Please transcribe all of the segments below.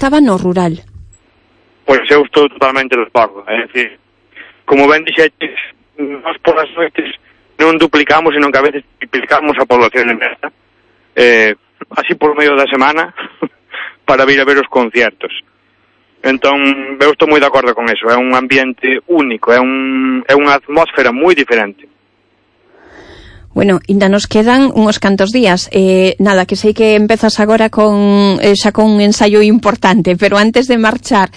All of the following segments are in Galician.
estaba no rural. Pois eu estou totalmente de acordo. É dicir, como ben dixetes, nós por as noites non duplicamos, senón que a veces triplicamos a población de Mersa, así por medio da semana, para vir a ver os conciertos. Entón, eu estou moi de acordo con eso. É un ambiente único, é unha atmósfera moi diferente. Bueno, ainda nos quedan uns cantos días. Nada, que sei que empezas agora xa con un ensaio importante, pero antes de marchar,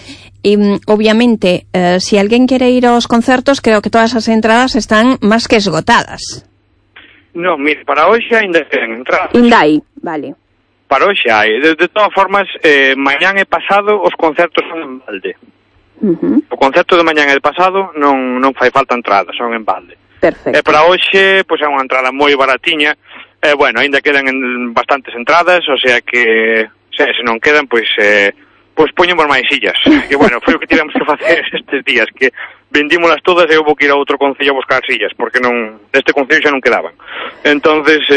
obviamente, si alguén quere ir aos concertos, creo que todas as entradas están máis que esgotadas. Non, mire, para hoxe ainda quedan entradas. Ainda hai, vale. Para hoxe hai. De todas formas, mañán e pasado os concertos son en balde. O concerto de mañán e de pasado non fai falta entradas, son en balde. Perfecto. E para hoxe, pois é unha entrada moi baratiña. Bueno, ainda quedan bastantes entradas, o sea que se non quedan, pois poñemos máis sillas. Que bueno, foi o que tivemos que facer estes días, que vendímolas todas e houve que ir a outro concello a buscar sillas, porque deste concello xa non quedaban. Entonces,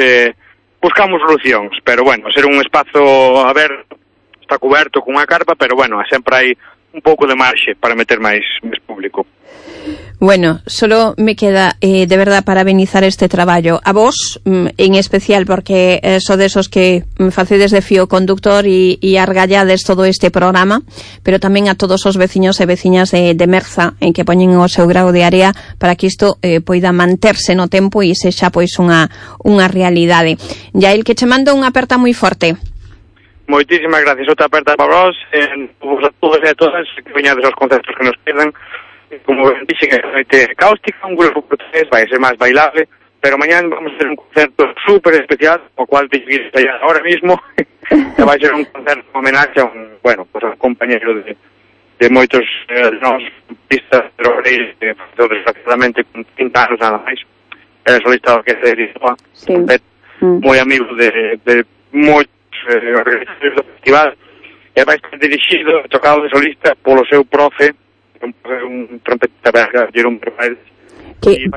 buscamos solucións, pero bueno, ser un espazo aberto, está coberto cunha carpa, pero bueno, sempre hai un pouco de marxe para meter máis público. Bueno, solo me queda de verdad parabenizar este traballo a vos, en especial porque sodes os que facedes de fío conductor e argallades todo este programa, pero tamén a todos os veciños e veciñas de Merza en que poñen o seu grau de área para que isto poida manterse no tempo e sexa pois unha realidade. Yael, que che mando unha aperta moi forte. Moitísimas gracias, outra aperta para vos, a todos e a todas que veñades aos concertos que nos quedan. Como dixen, é noite cáustica, un grupo portugués, vai ser máis bailable, pero mañán vamos a ter un concerto super especial, o cual te ir allá ahora mismo, que vai ser un concerto homenaxe a un compañero de moitos nós pistas de Loureiro, desgraciadamente con 30 anos nada máis, era solista da orquesta de Lisboa, moi amigo de moitos organizadores do festival, e vai ser dirixido, tocado de solista polo seu profe, un trompetista belga, Jerome Bermel. Que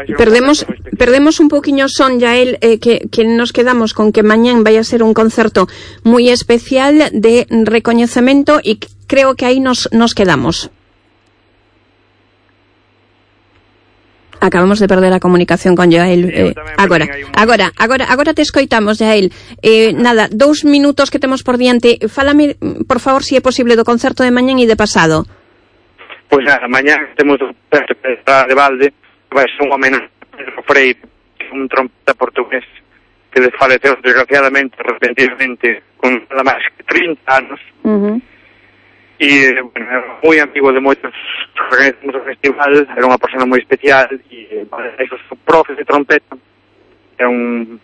perdemos un poquinho son, Yael, que nos quedamos con que mañán vai a ser un concerto moi especial de recoñecemento e creo que aí nos quedamos. Acabamos de perder a comunicación con Yael. Agora te escoitamos, Yael. Nada, 2 minutos que temos por diante. Fálame, por favor, se é posible do concerto de mañán e de pasado. Pois nada, mañán temos un concerto de balde, que vai ser un homenaxe a Pedro Freire, un trompeta portugués que desfaleceu desgraciadamente, repentinamente, con nada máis que 30 anos. E, bueno, era moi amigo de moitos organizamos o festival, era unha persona moi especial, e eso, o profe de trompeta, é un...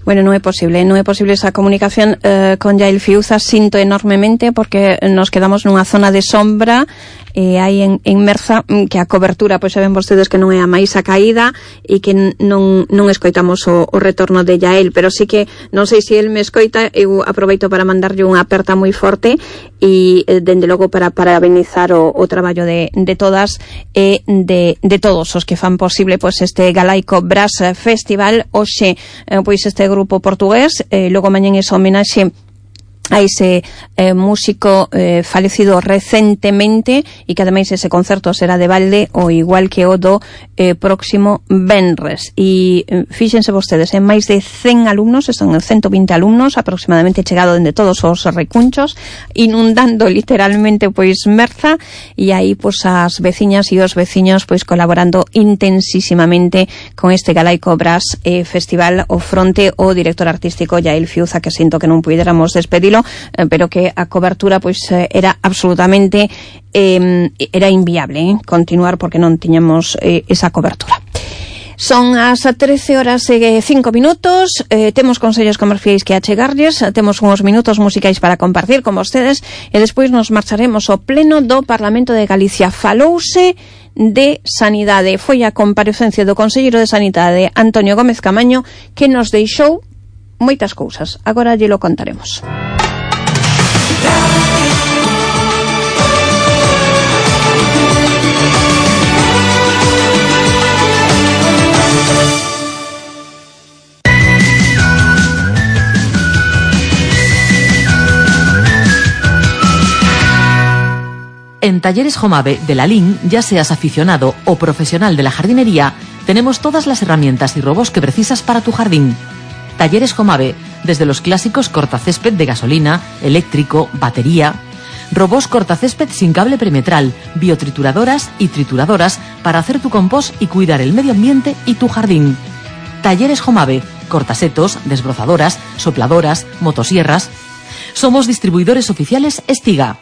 Bueno, non é posible esa comunicación con Yael Fiuza, sinto enormemente porque nos quedamos nunha zona de sombra hai en Merza, que a cobertura, pois saben vostedes que non é a máis a caída e que non escoitamos o retorno de Yael, pero sí que non sei se el me escoita, eu aproveito para mandarlle unha aperta moi forte e dende logo para parabenizar o traballo de todas e de todos os que fan posible pois este Galaico Brass Festival. Hoxe pois este grupo portugués, logo mañán esa homenaxe a ese músico falecido recentemente e que ademais ese concerto será de balde o igual que o do próximo venres. E fíxense vostedes, en máis de 100 alumnos, están 120 alumnos aproximadamente, chegado dende todos os recunchos, inundando literalmente pois Merza, e aí pois as veciñas e os veciños pois colaborando intensísimamente con este Galaico Brass Festival. O fronte o director artístico Yael Fiuza, que sinto que non puidéramos despedilo, pero que a cobertura pois era absolutamente era inviable continuar porque non tiñamos esa cobertura. Son as 13 horas e 5 minutos, temos consellos comerciais que achegarlles, temos uns minutos musicais para compartir con vostedes e despois nos marcharemos ao pleno do Parlamento de Galicia. Falouse de Sanidade, foi a comparecencia do Conselleiro de Sanidade Antonio Gómez Camaño que nos deixou moitas cousas, agora lle lo contaremos. En Talleres Jomave de La Lin, ya seas aficionado o profesional de la jardinería, tenemos todas las herramientas y robots que precisas para tu jardín. Talleres Jomave, desde los clásicos cortacésped de gasolina, eléctrico, batería, robots cortacésped sin cable perimetral, biotrituradoras y trituradoras para hacer tu compost y cuidar el medio ambiente y tu jardín. Talleres Jomave, cortasetos, desbrozadoras, sopladoras, motosierras. Somos distribuidores oficiales Estiga.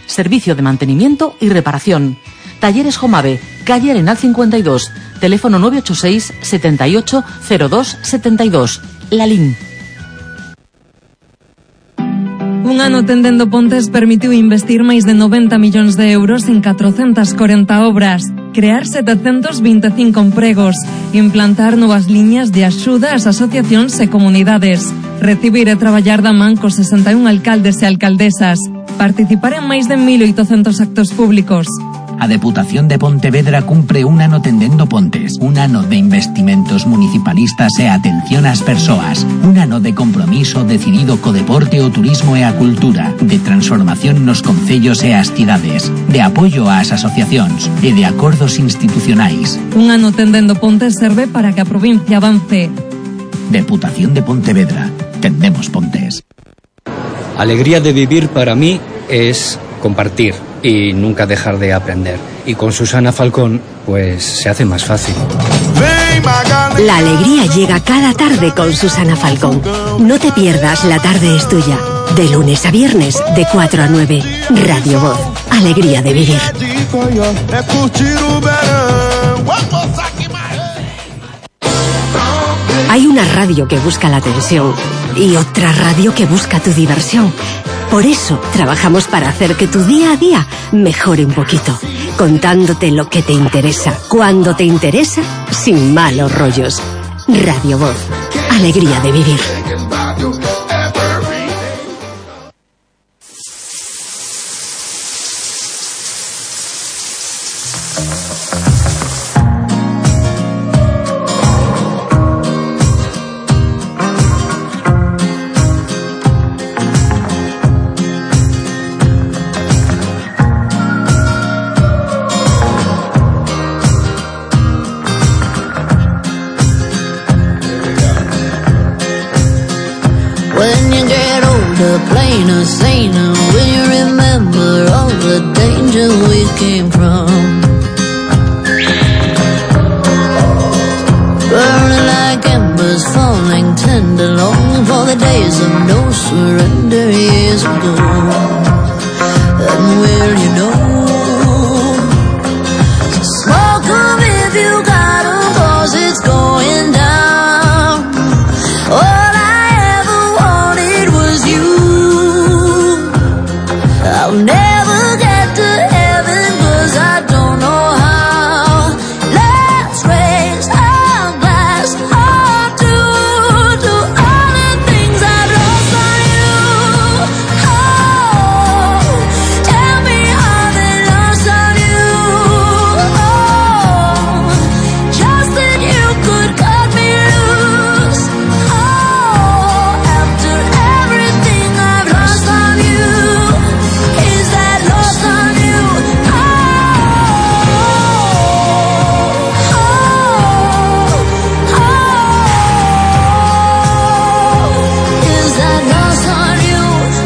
Servicio de mantenimiento y reparación. Talleres Jomave, calle Arenal 52, teléfono 986 78 02 72. Lalín. Un ano tendendo pontes permitiu investir máis de 90 millóns de euros en 440 obras, crear 725 empregos, implantar novas liñas de axuda ás asociacións e comunidades, recibir e traballar da man cos 61 alcaldes e alcaldesas, participar en máis de 1.800 actos públicos. A Deputación de Pontevedra cumpre un ano tendendo pontes, un ano de investimentos municipalistas e atención ás persoas, un ano de compromiso decidido co deporte, o turismo e a cultura, de transformación nos concellos e as cidades, de apoio ás asociacións e de acordos institucionais. Un ano tendendo pontes serve para que a provincia avance. Deputación de Pontevedra. Tendemos pontes. Alegría de vivir para mí es compartir y nunca dejar de aprender. Y con Susana Falcón, pues se hace más fácil. La alegría llega cada tarde con Susana Falcón. No te pierdas La Tarde es Tuya. De lunes a viernes, de 4 a 9. Radio Voz. Alegría de vivir. Hay una radio que busca la atención y otra radio que busca tu diversión. Por eso trabajamos para hacer que tu día a día mejore un poquito, contándote lo que te interesa, cuando te interesa, sin malos rollos. Radio Voz. Alegría de vivir. Plainer, saner, when you remember all the danger we came from. Burning like embers, falling tender, longing for the days of no surrender years ago. And will you know? So smoke 'em if you got 'em, 'cause it's going down. All I ever wanted was you. I'll never get to heaven 'cause I don't know how. Let's raise our glass up to all the things I've lost on you. Oh, tell me how they lost on you. Oh, just that you could cut me loose. Oh, after everything I've lost on you. Is that lost on you? Oh, oh, oh, oh. Is that lost on you?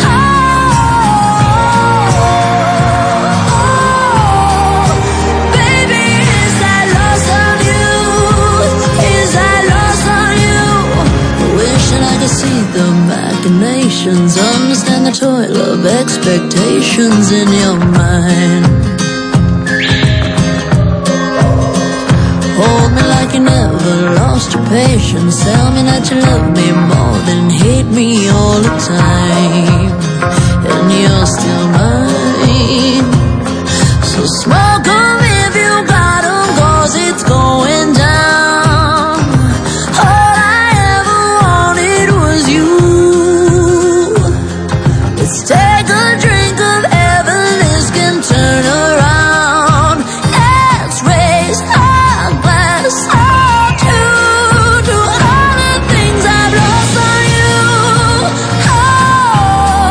Oh, oh, baby, is that lost on you? Is that lost on you? Wishing I could see the machinations, understand the toil of expectations in your mind. Hold me like you never lost your patience. Tell me that you love me more than hate me all the time. And you're still mine. So smoke 'em if you got 'em, 'cause it's going down. All I ever wanted was you. Let's take a drink of heaven, this can turn around. Let's raise our glass up to all the things I've lost on you. Oh,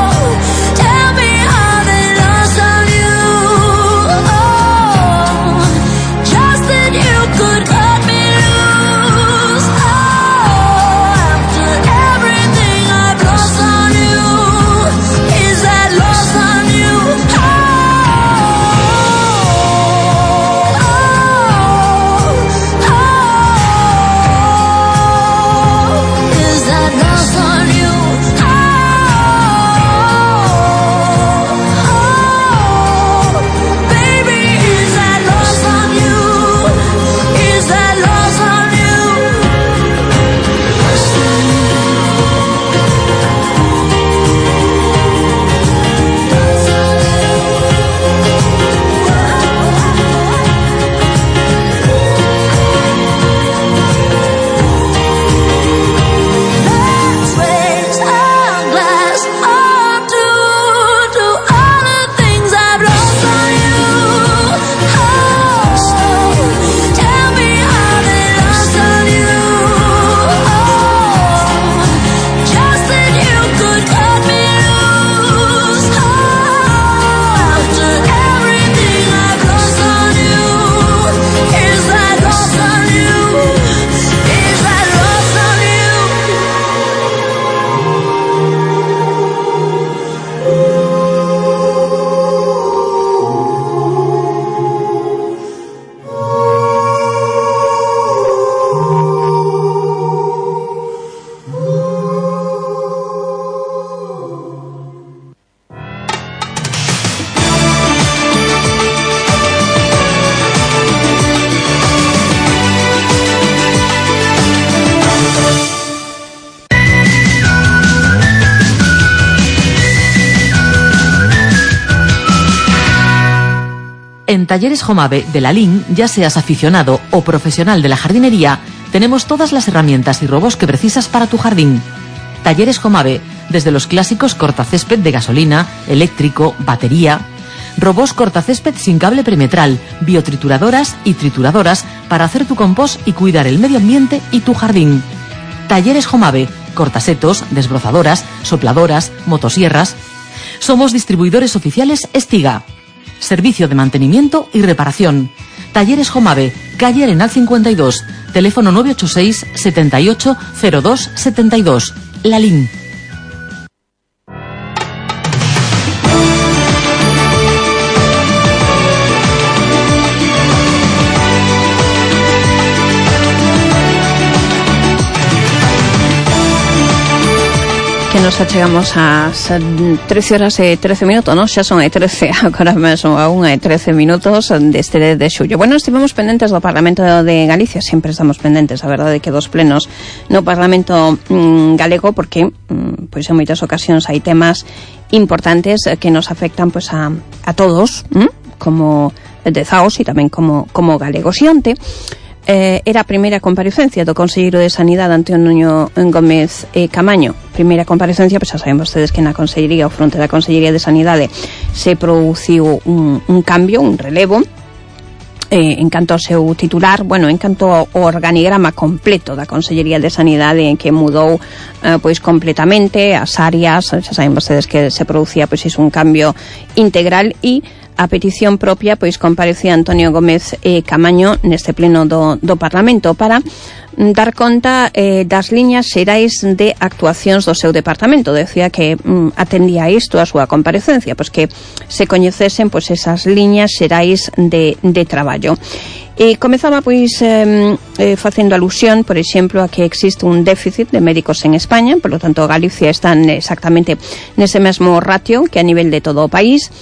En Talleres Jomave de la LIN, ya seas aficionado o profesional de la jardinería, tenemos todas las herramientas y robots que precisas para tu jardín. Talleres Jomave, desde los clásicos cortacésped de gasolina, eléctrico, batería, robots cortacésped sin cable perimetral, biotrituradoras y trituradoras para hacer tu compost y cuidar el medio ambiente y tu jardín. Talleres Jomave, cortasetos, desbrozadoras, sopladoras, motosierras. Somos distribuidores oficiales Estiga. Servicio de mantenimiento y reparación. Talleres Jomave, calle Arenal 52, teléfono 986 78 02 72. La LIN. Que nos achegamos ás 13 horas e 13 minutos, non? Xa son e 13, agora mesmo a 1:13 deste de xullo. Bueno, estivemos pendentes do Parlamento de Galicia, sempre estamos pendentes, a verdade, que dos plenos no Parlamento galego, porque pois en moitas ocasións hai temas importantes que nos afectan pois a todos, como dezaos e tamén como galegos. E onte era a primeira comparecencia do Conselleiro de Sanidade Antonio Gómez Camaño. Primeira comparecencia, pois xa saben vostedes que na Consellería, ao fronte da Consellería de Sanidade, se produciu un cambio, un relevo, en canto ao seu titular, bueno, en canto ao organigrama completo da Consellería de Sanidade, en que mudou pois completamente as áreas. Xa saben vostedes que se producía pois un cambio integral, e a petición propia, pois comparecía Antonio Gómez Camaño neste pleno do Parlamento para dar conta das liñas xerais de actuacións do seu departamento. Decía que atendía a isto a súa comparecencia, pois que se coñecesen pois esas liñas xerais de traballo. E comezaba pois facendo alusión, por exemplo, a que existe un déficit de médicos en España, por lo tanto Galicia está exactamente nese mesmo ratio que a nivel de todo o país.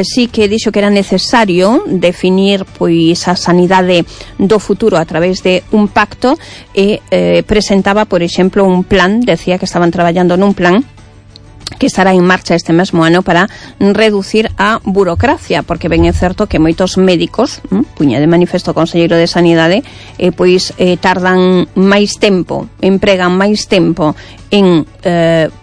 Sí que dixo que era necesario definir pois a sanidade do futuro a través de un pacto, e presentaba, por exemplo, un plan, decía que estaban traballando nun plan que estará en marcha este mesmo ano para reducir a burocracia, porque ben é certo que moitos médicos, puña de manifesto o Conselleiro de Sanidade, pois tardan máis tempo, empregan máis tempo en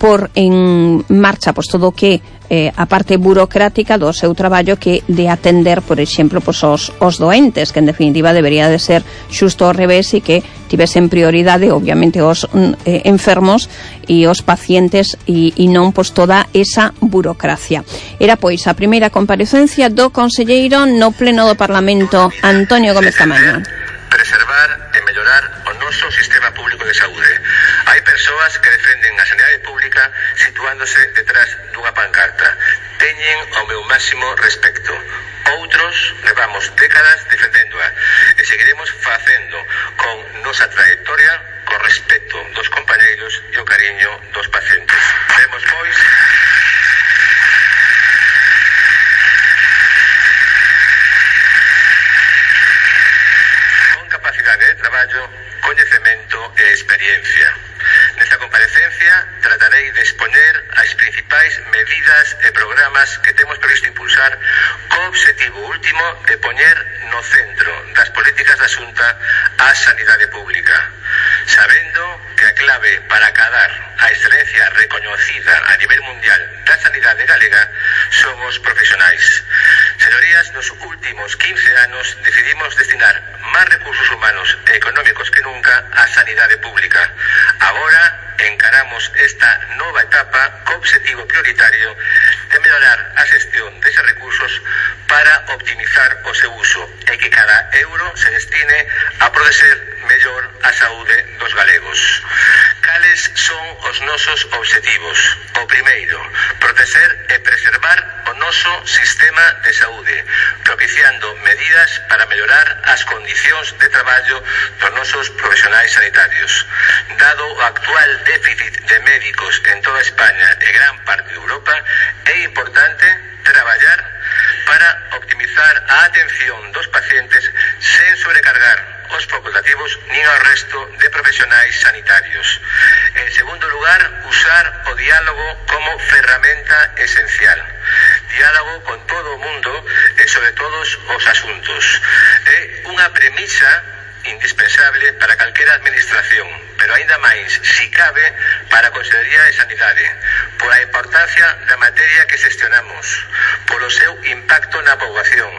por en marcha pois todo o que a parte burocrática do seu traballo, que de atender, por exemplo, pois os doentes, que en definitiva debería de ser xusto ao revés, e que tivesen prioridade obviamente os enfermos e os pacientes, e non pois toda esa burocracia. Era pois a primeira comparecencia do conselleiro no pleno do Parlamento, Antonio Gómez Camaño. Preservar e mellorar o noso sistema público de saúde. Hai persoas que defenden a sanidade pública situándose detrás dunha pancarta. Teñen o meu máximo respecto. Outros levamos décadas defendéndoa e seguiremos facendo con nosa trayectoria, con respeto dos compañeiros e o cariño dos pacientes. Vemos, pois, capacidade de traballo, coñecemento e experiencia. Nesta comparecencia tratarei de expoñer as principais medidas e programas que temos previsto impulsar, co obxectivo último de poñer no centro das políticas da Xunta a sanidade pública, sabendo que a clave para acadar a excelencia recoñecida a nivel mundial da sanidade galega son os profesionais. Señorías, nos últimos 15 anos decidimos destinar máis recursos humanos e económicos que nunca á sanidade pública. Agora encaramos esta nova etapa co obxectivo prioritario de mellorar a xestión deses recursos para optimizar o seu uso e que cada euro se destine a proteger mellor a saúde dos galegos. Cales son os nosos obxectivos? O primeiro, proteger e preservar o noso sistema de saúde, propiciando medidas para mellorar as condicións de traballo dos nosos profesionais sanitarios. Dado o actual déficit de médicos en toda España e gran parte de Europa, é importante traballar para optimizar a atención dos pacientes sen sobrecargar os facultativos nin ao resto de profesionais sanitarios. En segundo lugar, usar o diálogo como ferramenta esencial. Diálogo con todo o mundo e sobre todos os asuntos. É unha premisa indispensable para calquera administración, pero aínda máis, si cabe, para a Consellería de Sanidade, pola importancia da materia que xestionamos, polo seu impacto na poboación,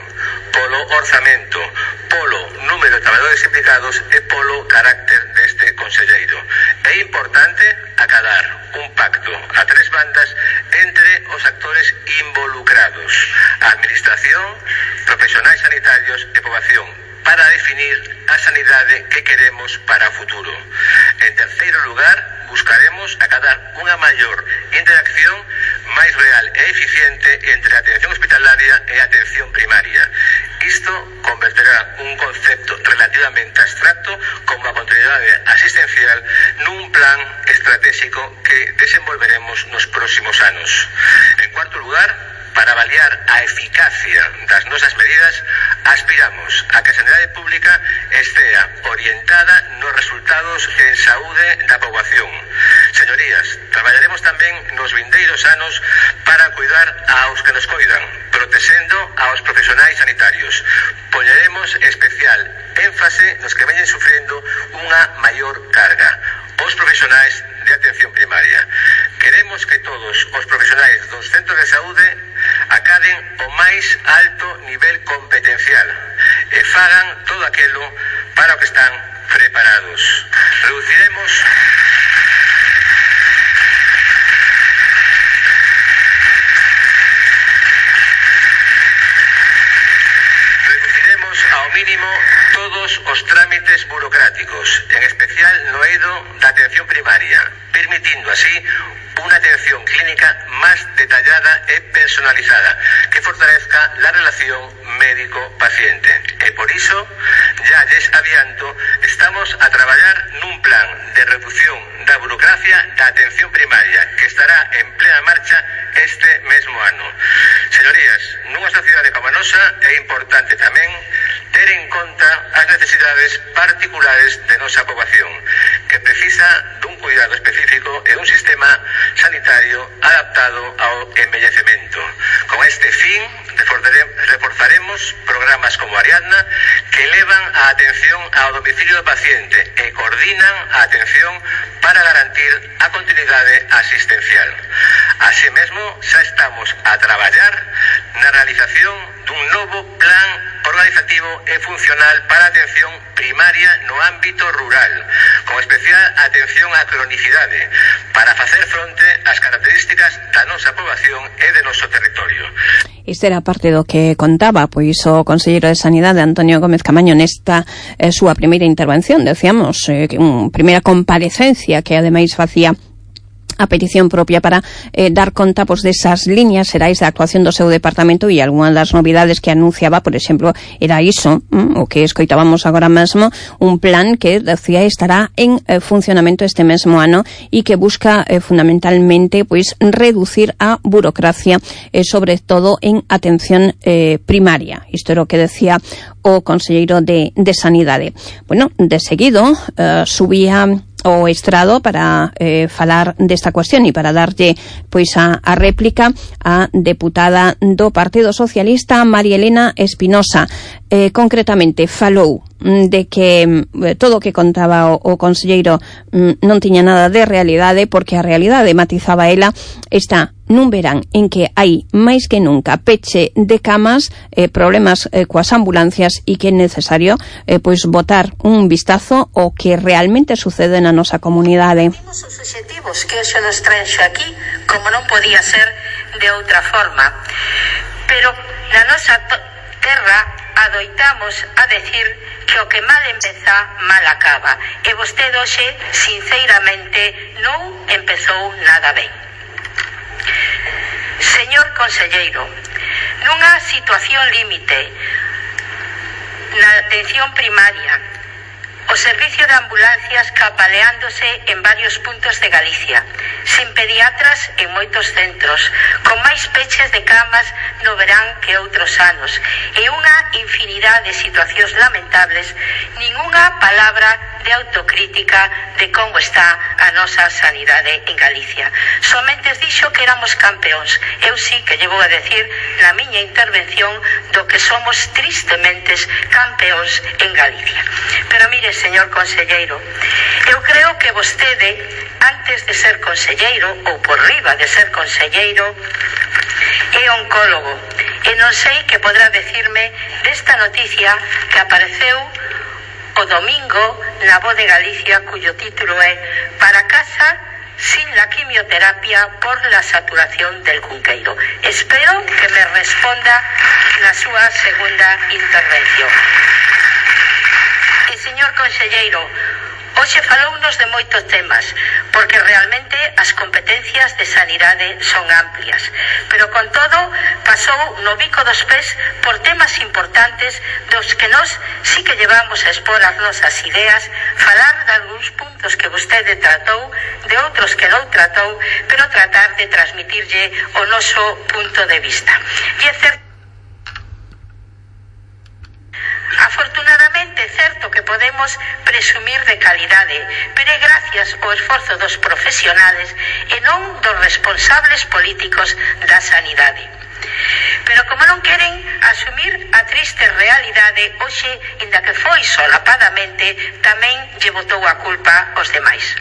polo orzamento, polo número de traballadores implicados e polo carácter deste conselleiro. É importante acadar un pacto a tres bandas entre os actores involucrados, a administración, profesionais sanitarios e poboación, para definir a sanidade que queremos para o futuro. En terceiro lugar, buscaremos acadar unha maior interacción máis real e eficiente entre a atención hospitalaria e a atención primaria. Isto converterá un concepto relativamente abstracto como a continuidade asistencial nun plan estratégico que desenvolveremos nos próximos anos. En cuarto lugar, para avaliar a eficacia das nosas medidas, aspiramos a que a sanidade pública estea orientada nos resultados en saúde da poboación. Señorías, traballaremos tamén nos vindeiros anos para cuidar aos que nos coidan, protexendo aos profesionais sanitarios. Poñeremos especial énfase nos que veñen sufrendo unha maior carga, os profesionais de atención primaria. Queremos que todos os profesionais dos centros de saúde acaden o máis alto nivel competencial e fagan todo aquilo para o que están preparados. Reduciremos ao mínimo todos os trámites burocráticos, en especial no eido da atención primaria, permitindo así unha atención clínica máis detallada e personalizada que fortalezca la relación médico-paciente. E por iso, ya lles adianto, estamos a traballar nun plan de reducción da burocracia da atención primaria que estará en plena marcha este mesmo ano. Señorías, nunha sociedade como a nosa é importante tamén ter en conta as necesidades particulares de nosa poboación, que precisa dun cuidado específico e dun sistema sanitario adaptado ao envellecemento. Con este fin, reforzaremos programas como Ariadna que elevan a atención ao domicilio do paciente e coordinan a atención para garantir a continuidade asistencial. Así mesmo, xa estamos a traballar na realización dun novo plan organizativo e funcional para a atención primaria no ámbito rural, con especial atención á cronicidade, para facer fronte ás características da nosa poboación e de noso territorio. Isto era parte do que contaba pois o conselleiro de Sanidade Antonio Gómez Camaño nesta súa primeira intervención, decíamos, primeira comparecencia que ademais facía a petición propia para dar conta pois desas líneas xerais de actuación do seu departamento, e algunha das novidades que anunciaba, por exemplo, era iso, o que escoitábamos agora mesmo, un plan que decía estará en funcionamento este mesmo ano e que busca fundamentalmente pois reducir a burocracia, sobre todo en atención primaria. Isto era o que decía o conselleiro de Sanidade. Bueno, de seguido subía o estrado para falar desta cuestión e para darlle pois a réplica a deputada do Partido Socialista María Elena Espinosa. Concretamente falou de que todo o que contaba o conselleiro non tiña nada de realidade, porque a realidade, matizaba ela, está nun verán en que hai máis que nunca peche de camas, problemas coas ambulancias, e que é necesario pois botar un vistazo ao que realmente sucede na nosa comunidade. Temos os obxectivos que hoxe nos traenxo aquí, como non podía ser de outra forma, pero na nosa terra adoitamos a decir que o que mal empeza, mal acaba, e vostede hoxe, sinceramente, non empezou nada ben. Señor conselleiro, nunha situación límite na atención primaria, o servicio de ambulancias capaleándose en varios puntos de Galicia, sin pediatras en moitos centros, con máis peches de camas no verán que outros anos, e unha infinidade de situacións lamentables, ningunha palabra de autocrítica de como está a nosa sanidade en Galicia. Somente dixo que éramos campeóns. Eu sí que llevo a decir na miña intervención do que somos tristemente campeóns en Galicia. Pero mire, señor conselleiro, eu creo que vostede, antes de ser conselleiro, ou por riba de ser conselleiro, é oncólogo. E non sei que podrá decirme desta noticia que apareceu o domingo na Voz de Galicia, cuyo título é "Para casa sin la quimioterapia por la saturación del Cunqueiro". Espero que me responda na súa segunda intervención. E, señor conselleiro, hoxe falounos de moitos temas, porque realmente as competencias de sanidade son amplias, pero con todo pasou no bico dos pés por temas importantes dos que nós sí que llevamos a expor as nosas ideas, falar de algúns puntos que vostede tratou, de outros que non tratou, pero tratar de transmitirlle o noso punto de vista. E é certo, afortunadamente, é certo que podemos presumir de calidade, pero é gracias ao esforzo dos profesionales e non dos responsables políticos da sanidade. Pero como non queren asumir a triste realidade, hoxe, inda que foi solapadamente, tamén lle botou a culpa aos demais.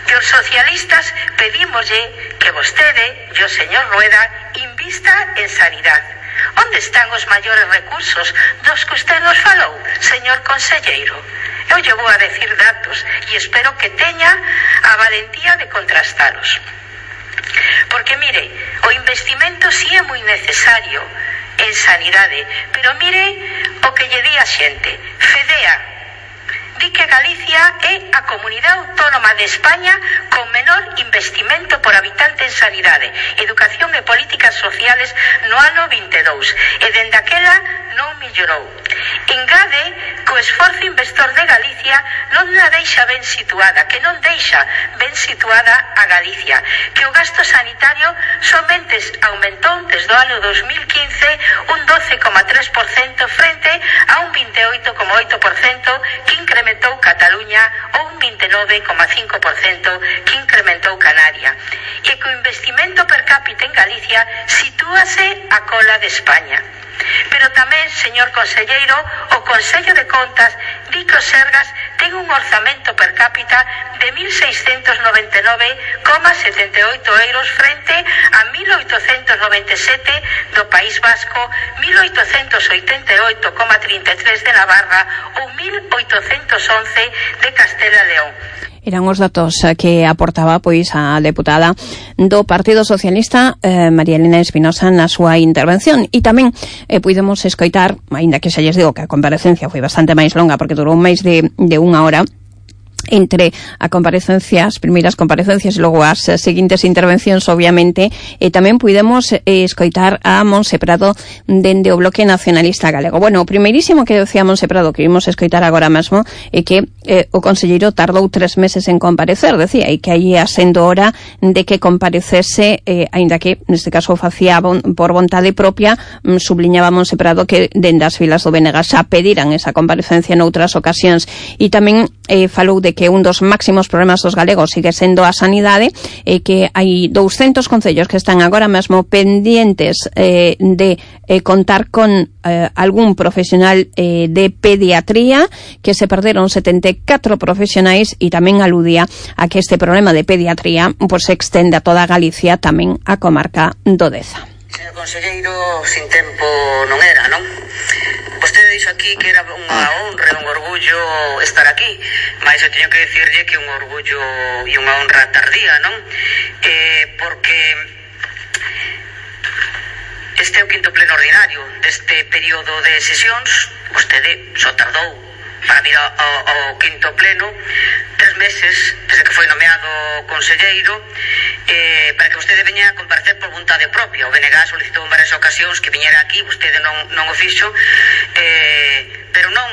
Que os socialistas pedímoslle que vostede e o señor Rueda invista en sanidade. Onde están os maiores recursos dos que usted nos falou, señor conselleiro? Eu lle vou a decir datos e espero que teña a valentía de contrastalos. Porque, mire, o investimento sí é moi necesario en sanidade, pero mire o que lle di a xente. FEDEA di que Galicia é a comunidade autónoma de España con menor investimento por habitante en sanidade, educación e políticas sociales no ano 22, e dende aquela non mellorou. Engade que o esforzo investor de Galicia non a deixa ben situada, que non deixa ben situada a Galicia, que o gasto sanitario somente aumentou desde o ano 2015 un 12,3% frente a un 28,8% que incrementou Cataluña ou un 29,5% que incrementou Canaria, e que o investimento per cápita en Galicia sitúase a cola de España. Pero tamén, señor conselleiro, o Consello de Contas di que o Sergas ten un orzamento per cápita de 1.699,78 euros frente a 1.897 do País Vasco, 1.888,33 de Navarra ou 1.811 de Castela e León. Eran os datos que aportaba pois a deputada do Partido Socialista, María Elena Espinosa, na súa intervención. E tamén puidemos escoitar, aínda que xa lles digo que a comparecencia foi bastante máis longa porque durou máis de unha hora, entre a comparecencia, as primeiras comparecencias e logo as seguintes intervencións, obviamente, e tamén puidemos escoitar a Montse Prado dende o Bloque Nacionalista Galego. Bueno, o primeirísimo que decía Montse Prado, que vimos escoitar agora mesmo, é que o conselleiro tardou 3 meses en comparecer, decía, e que aí ia sendo hora de que comparecese, aínda que neste caso facía por vontade propia. Subliñaba Montse Prado que dende as filas do BNG xa pediran esa comparecencia noutras ocasións, e tamén falou de que un dos máximos problemas dos galegos sigue sendo a sanidade, e que hai 200 concellos que están agora mesmo pendientes de contar con algún profesional de pediatría, que se perderon 74 profesionais, e tamén aludía a que este problema de pediatría pues, se extende a toda Galicia, tamén a comarca do Deza. Señor conselleiro, sin tempo non era, non? Vostede dixo aquí que era unha honra, un orgullo estar aquí, mas eu teño que decirlle que un orgullo e unha honra tardía, non? Porque este é o quinto pleno ordinario deste período de sesións. Vostede só tardou para vir ao quinto pleno 3 meses desde que foi nomeado conselleiro, para que vostede veña a comparecer por vontade propia. O BNG solicitou en varias ocasións que viñera aquí, vostede non o fixo, pero non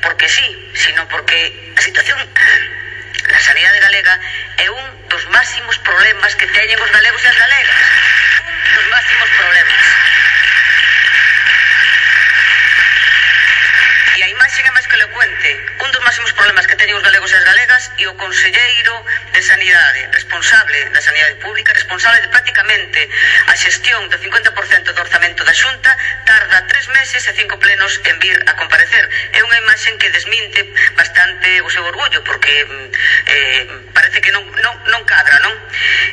porque sí, sino porque a situación na sanidade galega é un dos máximos problemas que teñen os galegos e as galegas, un dos máximos problemas. E a imaxe é máis que elocuente máximos problemas que teñen os galegos e as galegas, e o conselleiro de Sanidade, responsable da Sanidade Pública, responsable de prácticamente a xestión do 50% do orzamento da Xunta, tarda 3 meses e 5 plenos en vir a comparecer. É unha imaxen que desminte bastante o seu orgullo, porque parece que non cadra, non?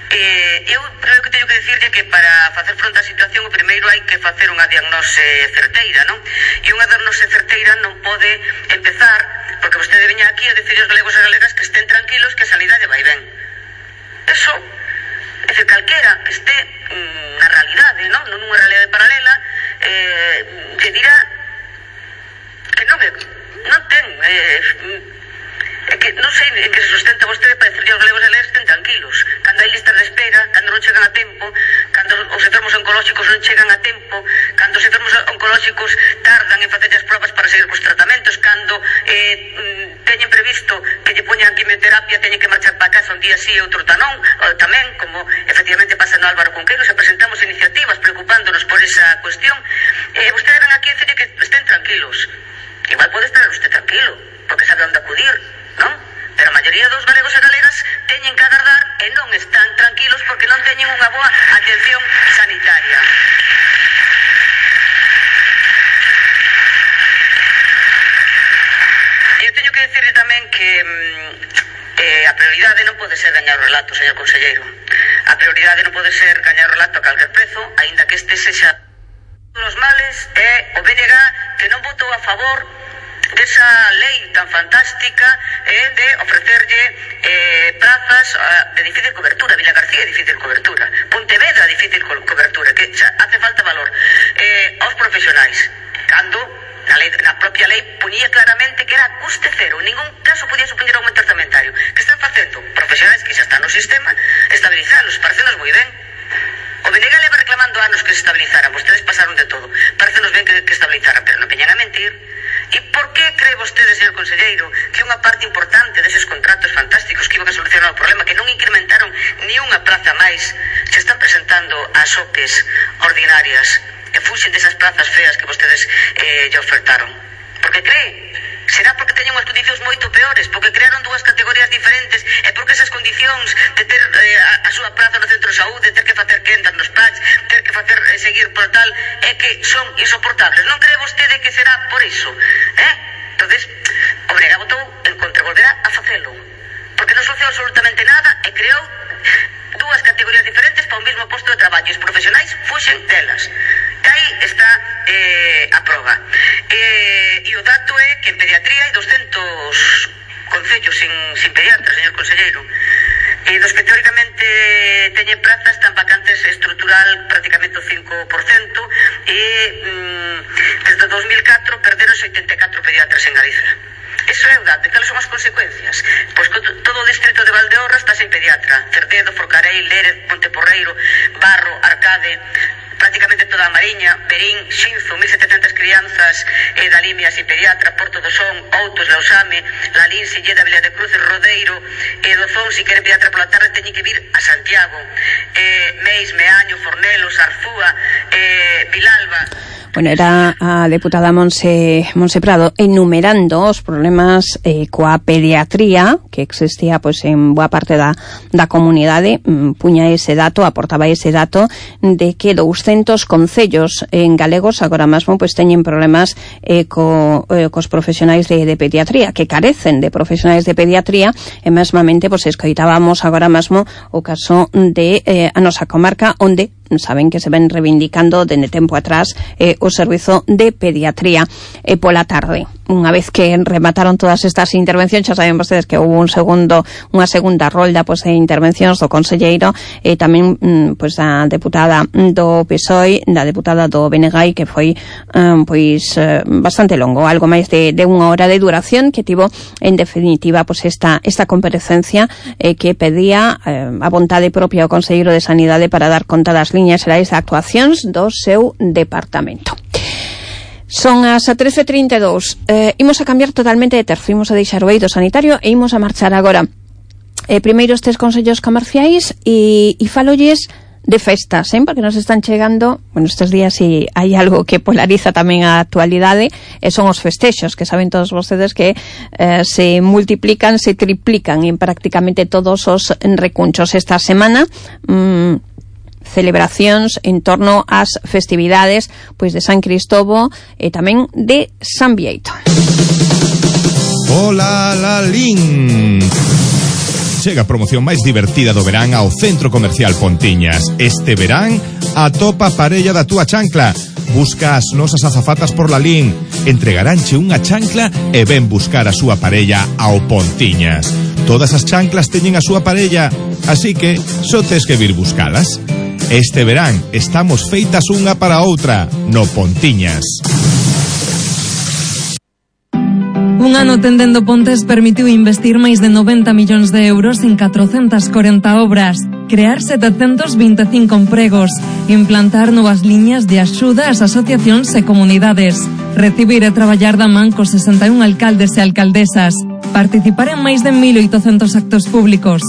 Eu creo que teño que decirlle que para facer fronte á situación, o primeiro hai que facer unha diagnose certeira, non? E unha diagnose certeira non pode empezar porque vostede veña aquí a decir aos galegos e galegas que estén tranquilos, que a sanidade vai ben. Eso, é dicir, calquera que este na realidade, non nunha realidade paralela, que dirá que non ten, é que non sei en que se sustenta vostede para decirle aos galegos e galegas que estén tranquilos, cando hai listas de espera, cando non chegan a tempo, cando os enfermos oncolóxicos non chegan a tempo, cando os enfermos oncolóxicos tardan en facer as probas para seguir cos tratamentos, cando teñen previsto que lle poñan quimioterapia, teñen que marchar para casa un día sí e outro tamén, como efectivamente pasa no Álvaro Cunqueiro, se presentamos iniciativas preocupándonos por esa cuestión, vostede ven aquí a decirle que estén tranquilos. Igual pode estar usted tranquilo, porque sabe onde acudir, non? Pero a maioría dos galegos e galegas teñen que agardar e non están tranquilos porque non teñen unha boa atención sanitaria. Eu teño que decirle tamén que a prioridade non pode ser gañar o relato, señor conselleiro. A prioridade non pode ser gañar o relato a calquer prezo, aínda que este sexa dos males, é o BNG que non votou a favor desa lei tan fantástica de ofrecerlle plazas de difícil cobertura. Vila García, difícil cobertura. Pontevedra, difícil cobertura, que xa hace falta valor aos profesionais, cando na propia lei ponía claramente que era custe cero, en ningún caso podía supoñer aumento orzamentario. Que están facendo profesionais que xa están no sistema, estabilizalos, parecenos moi ben. O BNG leva reclamando anos que se estabilizaran, vostedes pasaron de todo, parecenos ben que estabilizaran, pero non veñan a mentir. E por que cree vostede, señor conselleiro, que unha parte importante deses contratos fantásticos que iban a solucionar o problema, que non incrementaron ni unha plaza máis, se están presentando ás OPEs ordinarias e fuxen desas plazas feas que vostedes lle ofertaron? Porque cree? Será porque teñen unhas condicións moito peores, porque crearon dúas categorías diferentes e porque esas condicións de ter a súa praza no centro de saúde, ter que facer quendas nos PACs, ter que facer seguir por tal, é que son insoportables. Non cree vostede que será por iso? Entonces, o BNG votou en contra, volverá a facelo, porque non solucionou absolutamente nada e creou dúas categorías diferentes para o mesmo posto de traballo. Os profesionais fuxen delas. E aí está a proba. E o dato é que en pediatría hai 200 concellos sin pediatra, señor conselleiro, e dos que teóricamente teñen plazas tan vacantes estrutural prácticamente o 5%, e desde 2004 perderon 84 pediatras en Galicia. Eso é o dato. Cales son as consecuencias? Pois que todo o distrito de Valdeorras está sen pediatra. Cerdedo, Forcarei, Lérez, Monteporreiro, Barro, Arcade, prácticamente toda a Mariña, Berín, Xinzo, 1.700 crianzas da Limia sin pediatra, Porto do Son, Outos, Lausame, Lalín, Silleda, Vila de Cruz, Rodeiro, Dozón, se quere pediatra pola tarde, teñen que vir a Santiago, Meis, Meaño, Fornelos, Arzúa, Vilalba. Bueno, era a deputada Monse Prado enumerando os problemas coa pediatría que existía pois en boa parte da comunidade. Puña ese dato, aportaba ese dato de que 200 concellos en galegos agora mesmo pois teñen problemas cos profesionais de pediatría, que carecen de profesionais de pediatría, e mesmamente pois escoitábamos agora mesmo o caso de a nosa comarca, onde saben que se ven reivindicando dende tempo atrás o servizo de pediatría pola tarde. Unha vez que remataron todas estas intervencións, xa saben vostedes que houve unha segunda rolda pois de intervencións do conselleiro e tamén pois da deputada do PSOE, da deputada do BNG, que foi pois bastante longo, algo máis de unha hora de duración, que tivo en definitiva pois esta comparecencia que pedía a vontade propia ao conselleiro de Sanidade para dar conta das liñas xerais de actuacións do seu departamento. Son as 13:32. Imos a cambiar totalmente de terzo, imos a deixar o eido sanitario e imos a marchar agora primeiro estes consellos comerciais e falolles de festas, porque nos están chegando, bueno, estes días si hai algo que polariza tamén a actualidade, son os festexos, que saben todos vostedes que se multiplican, se triplican en prácticamente todos os recunchos. Esta semana celebracións en torno ás festividades pois de San Cristóbal e tamén de San Bieito. Hola, Lalín. Chega a promoción máis divertida do verán ao Centro Comercial Pontiñas. Este verán, atopa a parella da túa chancla. Busca as nosas azafatas por Lalín. Entregaránche unha chancla e ven buscar a súa parella ao Pontiñas. Todas as chanclas teñen a súa parella, así que só tes que vir buscalas. Este verán estamos feitas unha para outra no Pontiñas. Un ano tendendo pontes permitiu investir máis de 90 millóns de euros en 440 obras, crear 725 empregos, implantar novas liñas de axuda ás asociacións e comunidades, recibir e traballar da man cos 61 alcaldes e alcaldesas, participar en máis de 1.800 actos públicos.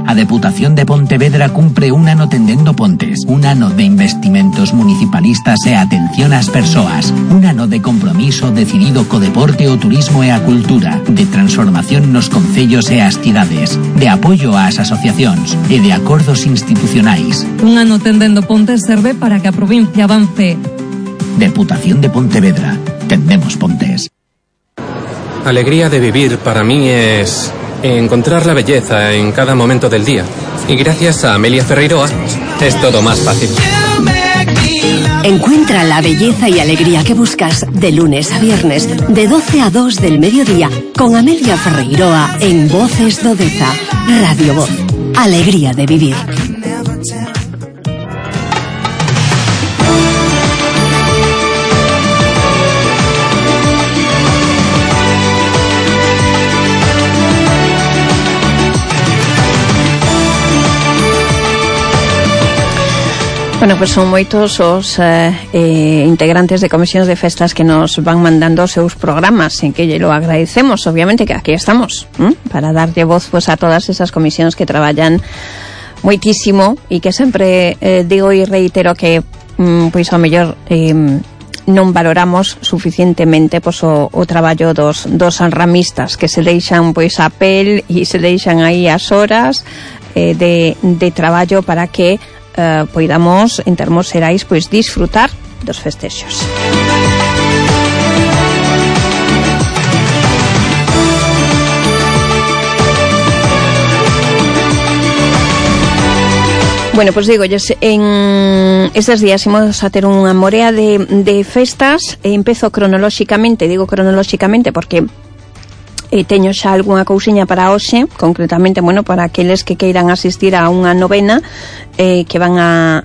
A Deputación de Pontevedra cumpre un ano tendendo pontes, un ano de investimentos municipalistas e atención ás persoas, un ano de compromiso decidido co deporte, o turismo e a cultura, de transformación nos concellos e as cidades, de apoio ás asociacións e de acordos institucionais. Un ano tendendo pontes serve para que a provincia avance. Deputación de Pontevedra. Tendemos pontes. Alegría de vivir para mí es encontrar la belleza en cada momento del día. Y gracias a Amelia Ferreiroa es todo más fácil. Encuentra la belleza y alegría que buscas de lunes a viernes, de 12 a 2 del mediodía, con Amelia Ferreiroa en Voces do Deza. Radio Voz. Alegría de vivir. Bueno, pues son moitos os integrantes de comisións de festas que nos van mandando os seus programas, en que lle lo agradecemos, obviamente, que aquí estamos para darlle voz pues, a todas esas comisións que traballan moitísimo e que sempre digo e reitero que pois ao mellor non valoramos suficientemente pois, o traballo dos ramistas, que se deixan pois a pel e se deixan aí as horas de traballo para que poidamos en termos xerais pois disfrutar dos festexos. Bueno, pues digolles, en estes días imos a ter unha morea de festas e empezo cronolóxicamente, digo cronolóxicamente porque teño xa algunha cousiña para hoxe, concretamente, bueno, para aqueles que queiran asistir a unha novena que van a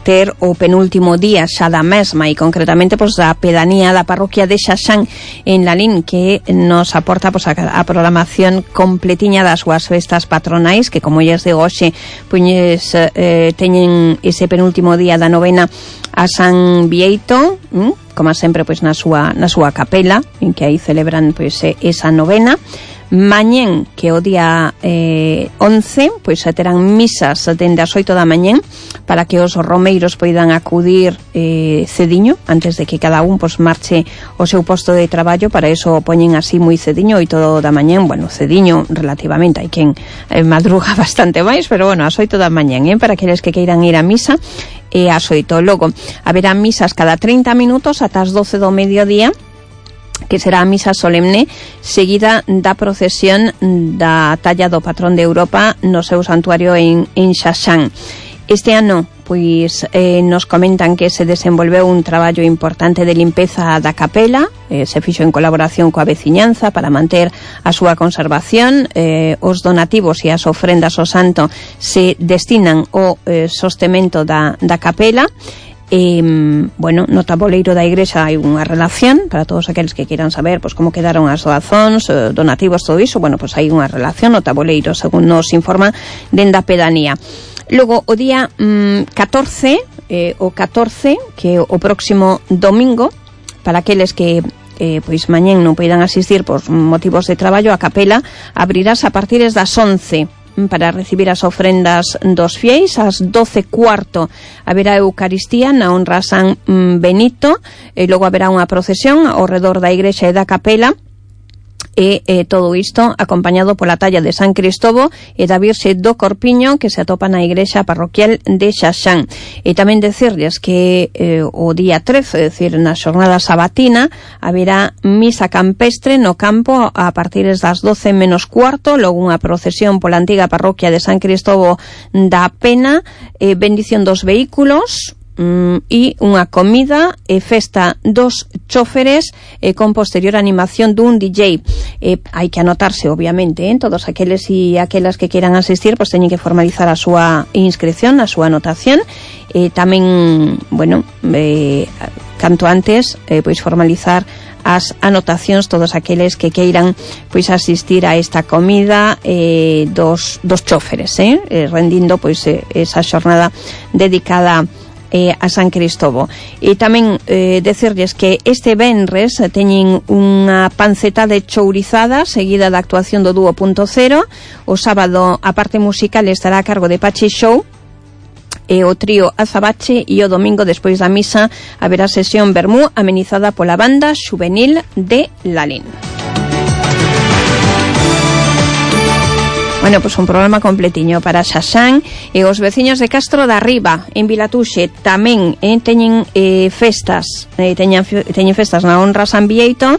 ter o penúltimo día xa da mesma e concretamente pois da pedanía da parroquia de Xaxán en Lalín, que nos aporta pois a programación completiña das súas festas patronais, que como lles digo hoxe pois teñen ese penúltimo día da novena a San Bieito, como sempre pois na súa capela, en que aí celebran pois esa novena. Mañén, que o día 11, pois se terán misas dende as 8 da mañén para que os romeiros poidan acudir cediño, antes de que cada un pois marche ao seu posto de traballo. Para iso poñen así moi cediño, 8 da mañén, bueno, cediño relativamente, hai quen madruga bastante máis, pero bueno, ás 8 da mañén, para aqueles que queiran ir a misa, e ás 8. Logo, haberá misas cada 30 minutos ata as 12 do mediodía, que será a misa solemne seguida da procesión da talla do patrón de Europa no seu santuario en Xaxán. Este ano pois nos comentan que se desenvolveu un traballo importante de limpeza da capela, se fixo en colaboración coa veciñanza para manter a súa conservación. Os donativos e as ofrendas ao santo se destinan ao sostemento da capela. Bueno, no tabuleiro da igrexa hai unha relación para todos aqueles que queiran saber pois como quedaron as doazóns, donativos, todo iso. Bueno, pois hai unha relación no tabuleiro, según nos informa dende a pedanía. Logo, o día 14, que o próximo domingo, para aqueles que pois mañén non poidan asistir por motivos de traballo, a capela abrirás a partir das 11. para recibir as ofrendas dos fieis. Ás 12:15 haberá Eucaristía na honra a San Benito, e logo haberá unha procesión ao redor da igrexa e da capela, e todo isto acompañado pola talla de San Cristovo e da Virxe do Corpiño, que se atopa na igrexa parroquial de Xaxán. E tamén decirles que o día 13, é dicir, na xornada sabatina, haberá misa campestre no campo a partir das 12 menos cuarto, logo unha procesión pola antiga parroquia de San Cristovo da Pena, bendición dos vehículos, e unha comida e festa dos choferes, con posterior animación dun DJ. Hai que anotarse, obviamente, todos aqueles e aquelas que queiran asistir, pois teñen que formalizar a súa inscripción, a súa anotación, e tamén, bueno, canto antes, pois formalizar as anotacións todos aqueles que queiran pois asistir a esta comida dos choferes, rendindo pois esa xornada dedicada a San Cristovo. E tamén decirles que este venres teñen unha panceta de chourizada seguida da actuación do dúo Punto Cero. O sábado a parte musical estará a cargo de Pachi Show e o trío Azabache, e o domingo despois da misa haberá sesión vermú amenizada pola banda xuvenil de Lalín. Bueno, pues un programa completiño para Xaxán e os veciños de Castro da Riba en Vilatuxe tamén teñen festas, teñen festas na honra San Bieito,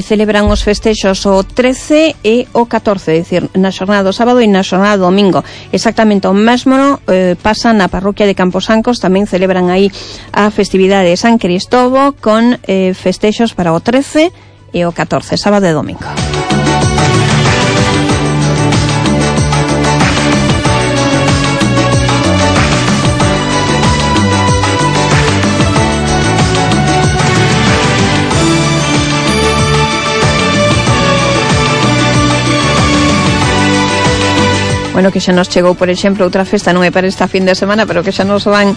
celebran os festexos o 13 e o 14, é dicir, na xornada do sábado e na xornada do domingo. Exactamente o mesmo pasa na parroquia de Camposancos, tamén celebran aí a festividade de San Cristovo con festexos para o 13 e o 14, sábado e domingo. Bueno, que xa nos chegou, por exemplo, outra festa, non é para esta fin de semana, pero que xa nos van,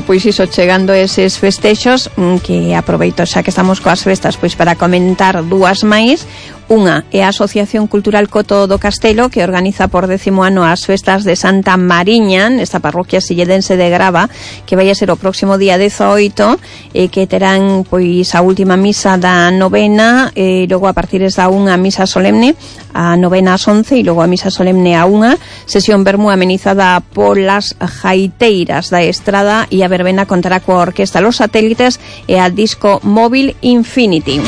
pois iso, chegando eses festexos, que aproveito xa que estamos coas festas, pois para comentar dúas máis. Unha é a Asociación Cultural Coto do Castelo, que organiza por 10º ano as festas de Santa Mariña, nesta parroquia silledense de Grava, que vai a ser o próximo día 18, que terán pois a última misa da novena, logo a partir da 1 a misa solemne, a novena ás 11 e logo a misa solemne a 1, sesión vermú amenizada polas jaiteiras da Estrada, e a verbena contará coa orquesta Los Satélites e a disco móvil Infinity.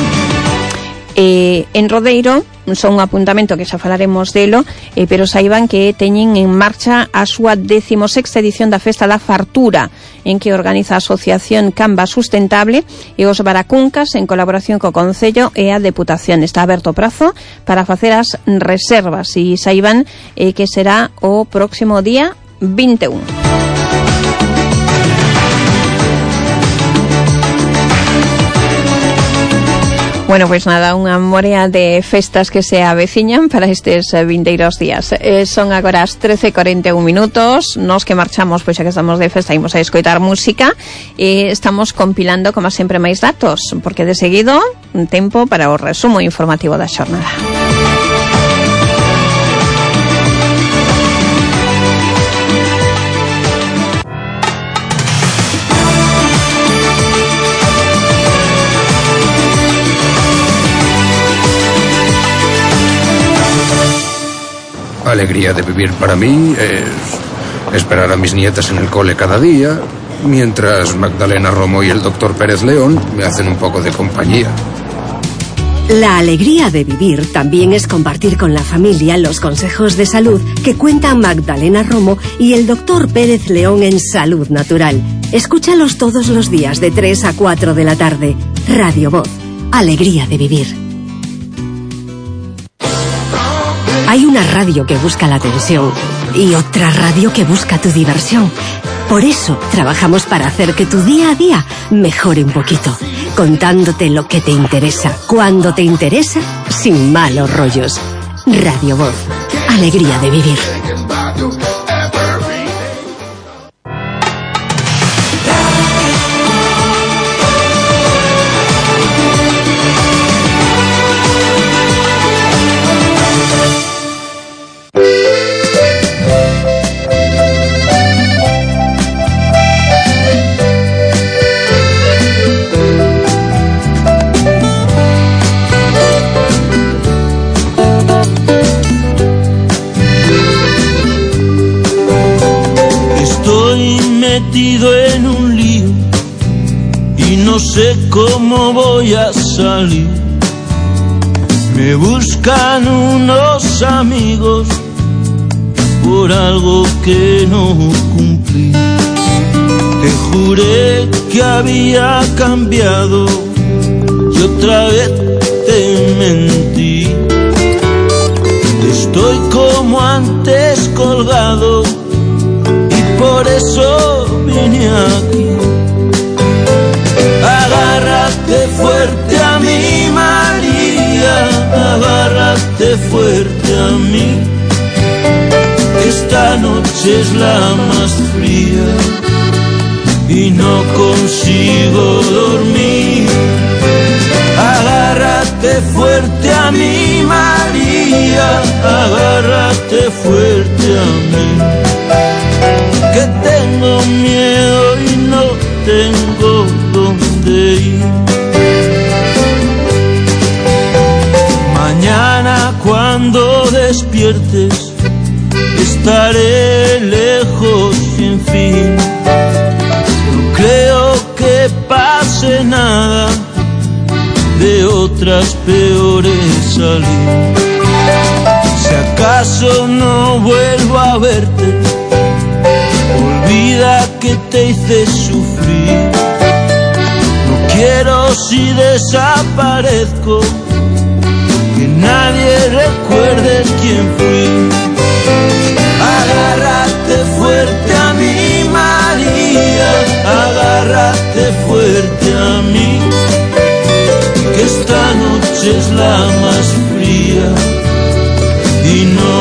En Rodeiro, son un apuntamento que xa falaremos delo, pero saiban que teñen en marcha a súa 16ª edición da Festa da Fartura, en que organiza a Asociación Camba Sustentable e os Baracuncas en colaboración co Concello e a Deputación. Está aberto o prazo para facer as reservas e saiban que será o próximo día 21. Bueno, pois nada, unha morea de festas que se aveciñan para estes vindeiros días. Son agora as 13:41 minutos, nos que marchamos, pois xa que estamos de festa, imos a escoitar música, e estamos compilando, como sempre, máis datos, porque de seguido, un tempo para o resumo informativo da xornada. Alegría de vivir para mí es esperar a mis nietas en el cole cada día, mientras Magdalena Romo y el doctor Pérez León me hacen un poco de compañía. La alegría de vivir también es compartir con la familia los consejos de salud que cuentan Magdalena Romo y el doctor Pérez León en Salud Natural. Escúchalos todos los días de 3 a 4 de la tarde. Radio Voz. Alegría de vivir. Hay una radio que busca la atención y otra radio que busca tu diversión. Por eso trabajamos para hacer que tu día a día mejore un poquito, contándote lo que te interesa, cuando te interesa, sin malos rollos. Radio Voz. Alegría de vivir. metido en un lío y no sé cómo voy a salir. Me buscan unos amigos por algo que no cumplí. Te juré que había cambiado y otra vez te mentí. Estoy como antes colgado y por eso vine aquí. Agárrate fuerte a mí, María, agárrate fuerte a mí. Esta noche es la más fría y no consigo dormir. Agárrate fuerte a mí, María, agárrate fuerte a mí. Que tengo miedo y no tengo dónde ir. Mañana cuando despiertes estaré lejos sin fin. No creo que pase nada, de otras peores salir. Si acaso no vuelvo a verte, olvida que te hice sufrir. No quiero si desaparezco que nadie recuerde quién fui. Agárrate fuerte a mí, María, agárrate fuerte a mí. Que esta noche es la más fría y no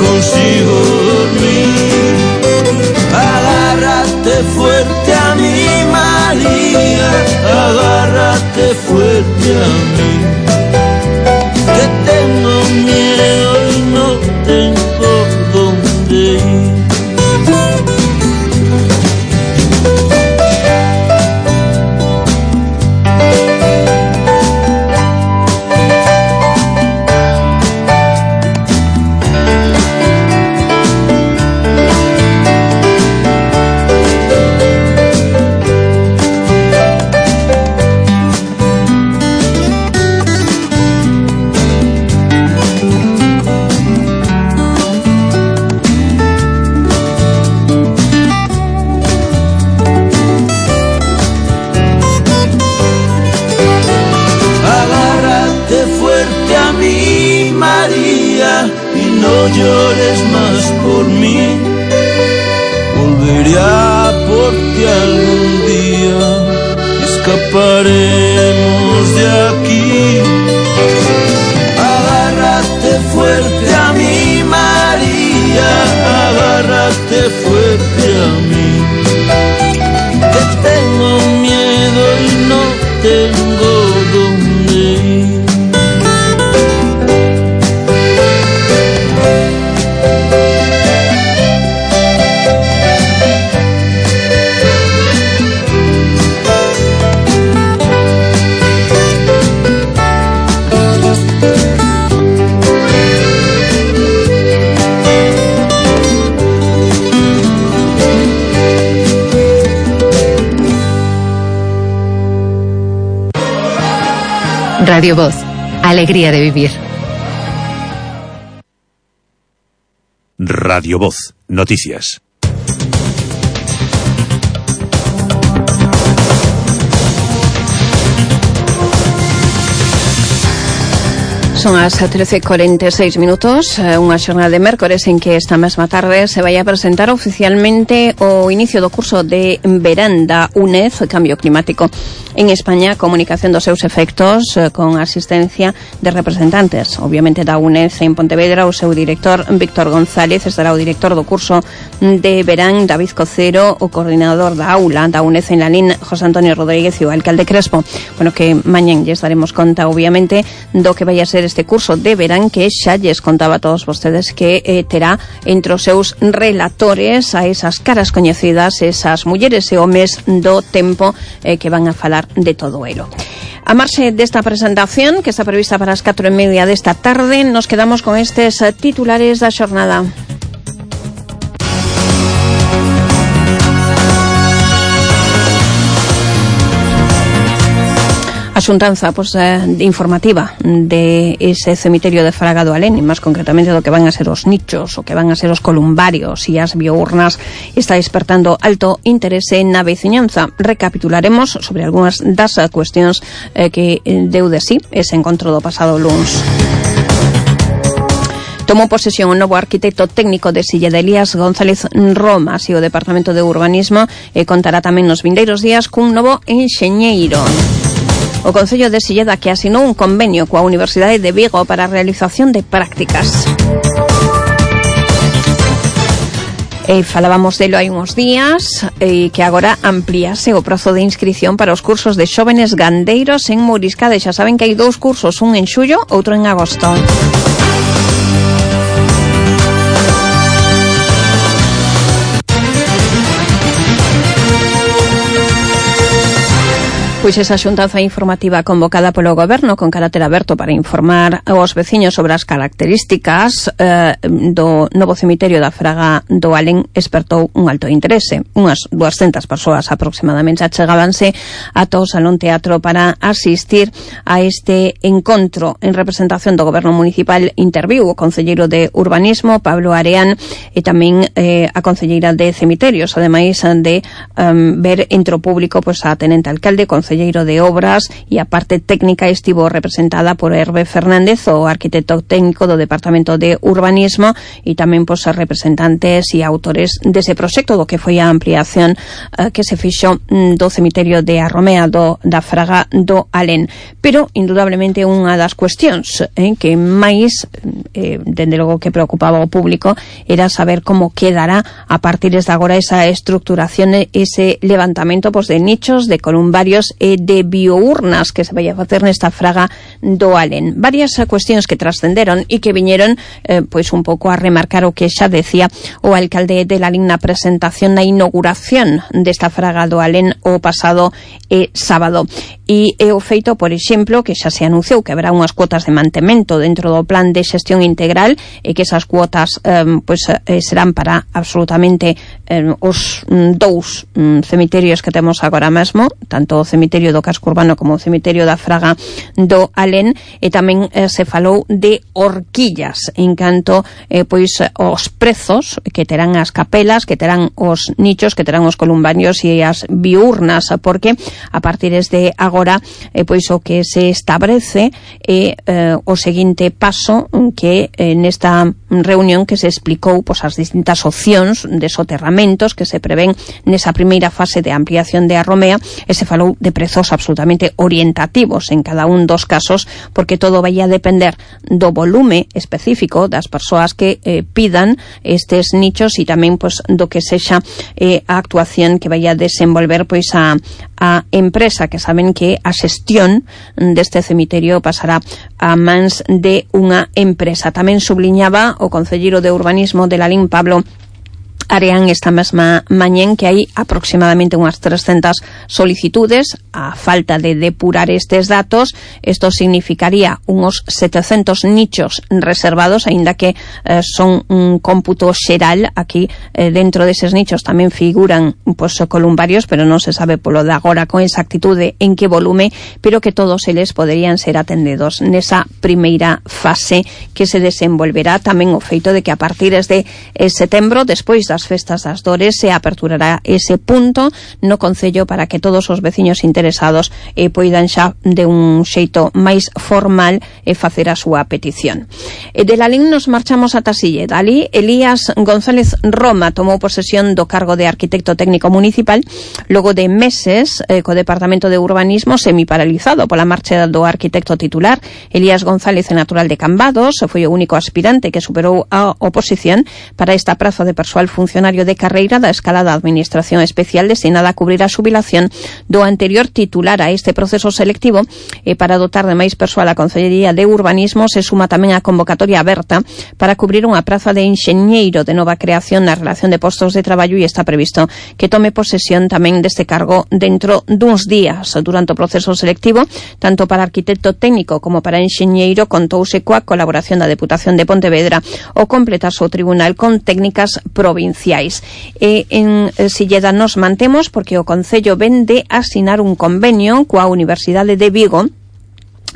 consigo dormir. Agárrate fuerte a mí, María, agárrate fuerte a mí. Que tengo miedo y no tengo dónde ir. No llores más por mí, volveré a por ti algún día, escaparemos de aquí. Agárrate fuerte a mí, María, agárrate fuerte a mí. Que tengo miedo y no tengo dónde ir. Radio Voz, alegría de vivir. Radio Voz, noticias. Son as 13:46 minutos, unha xornada de mércores en que esta mesma tarde se vai a presentar oficialmente o inicio do curso de verán da UNED Cambio Climático en España, comunicación dos seus efectos con asistencia de representantes, obviamente da UNED en Pontevedra. O seu director Víctor González, estará o director do curso de verán David Cocero, o coordinador da aula da UNED en Lalín José Antonio Rodríguez e o alcalde Crespo. Bueno, que mañán lle estaremos conta obviamente do que vai a ser este curso de verán, que xa lles contaba a todos vostedes que terá entre os seus relatores a esas caras coñecidas, esas mulleres e homes do tempo que van a falar de todo elo. A marxe desta presentación, que está prevista para as 4:30 desta tarde, nos quedamos con estes titulares da xornada. A xuntanza informativa de ese cemiterio de Fraga do Alén, e máis concretamente do que van a ser os nichos, o que van a ser os columbarios e as biournas, está despertando alto interese na veciñanza. Recapitularemos sobre algunhas das cuestións que deu de sí ese encontro do pasado luns. Tomou posesión o novo arquitecto técnico de Silleda, Elías González Roma, así o Departamento de Urbanismo contará tamén nos vindeiros días cun novo enxeñeiro. O Concello de Silleda, que asinou un convenio coa Universidade de Vigo para a realización de prácticas. Falábamos delo hai uns días, que agora amplíase o prazo de inscripción para os cursos de xóvenes gandeiros en Mouriscade. Xa saben que hai 2 cursos, un en xullo, outro en agosto. Pois esa xuntanza informativa convocada polo Goberno con carácter aberto para informar aos veciños sobre as características do novo cemiterio da Fraga do Alén espertou un alto interese. Unhas 200 persoas aproximadamente achegábanse ata o Salón Teatro para asistir a este encontro. En representación do Goberno Municipal interviu o concelleiro de Urbanismo, Pablo Areán, e tamén a concelleira de Cemiterios, ademais de ver entre o público a tenente alcalde, concelleiro de Obras, e a parte técnica estivo representada por Hervé Fernández, o arquitecto técnico do Departamento de Urbanismo, e tamén os representantes e autores dese proxecto do que foi a ampliación que se fixo do cemiterio de Arromea da Fraga do Alén. Pero, indudablemente, unha das cuestións que máis, dende logo que preocupaba o público, era saber como quedará a partir de agora esa estructuración, ese levantamento de nichos, de columbarios e de biournas que se vai a facer nesta Fraga do Alén. Varias cuestións que trascenderon e que viñeron un pouco a remarcar o que xa decía o alcalde de Lalín na presentación, na inauguración desta Fraga do Alén o pasado sábado. E o feito, por exemplo, que xa se anunciou que haberá unhas cuotas de mantemento dentro do plan de xestión integral e que esas cuotas serán para absolutamente os 2 cemiterios que temos agora mesmo, tanto o cemiterio do casco urbano como o cemiterio da Fraga do Alén, e tamén se falou de horquillas en canto os prezos que terán as capelas, que terán os nichos, que terán os columbarios e as biurnas, porque a partir de agora o que se establece é o seguinte paso, que nesta reunión que se explicou as distintas opcións de soterramentos que se prevén nesa primeira fase de ampliación de Arromea, e se falou de prezos absolutamente orientativos en cada un dos casos, porque todo vai a depender do volume específico das persoas que pidan estes nichos e tamén do que sexa a actuación que vai a desenvolver a empresa, que saben que a xestión deste cemiterio pasará a mans de unha empresa. Tamén subliñaba o concelleiro de Urbanismo de Lalín, Pablo Areán, esta mesma mañén, que hai aproximadamente unhas 300 solicitudes. A falta de depurar estes datos, isto significaría unos 700 nichos reservados, aínda que son un cómputo xeral. Aquí dentro deses nichos tamén figuran columbarios, pero non se sabe polo de agora con exactitude en que volume, pero que todos eles poderían ser atendidos nesa primeira fase que se desenvolverá. Tamén o feito de que a partir de setembro, despois das festas das Dores, se aperturará ese punto no Concello para que todos os veciños interesados poidan xa de un xeito máis formal facer a súa petición. De Lalín nos marchamos ata Silleda. Ali, Elías González Roma tomou posesión do cargo de arquitecto técnico municipal logo de meses co Departamento de Urbanismo semiparalizado pola marcha do arquitecto titular. Elías González é natural de Cambados, foi o único aspirante que superou a oposición para esta praza de persoal funcionario de carreira da escala da Administración Especial destinada a cubrir a xubilación do anterior titular a este proceso selectivo, e para dotar de máis persoal a Concellería de Urbanismo se suma tamén a convocatoria aberta para cubrir unha praza de enxeñeiro de nova creación na relación de postos de traballo, e está previsto que tome posesión tamén deste cargo dentro duns días. Durante o proceso selectivo, tanto para arquitecto técnico como para enxeñeiro, contouse coa colaboración da Deputación de Pontevedra o completarse o tribunal con técnicas provinciais. presenciais. En Silleda nos mantemos porque o Concello ven de asinar un convenio coa Universidade de Vigo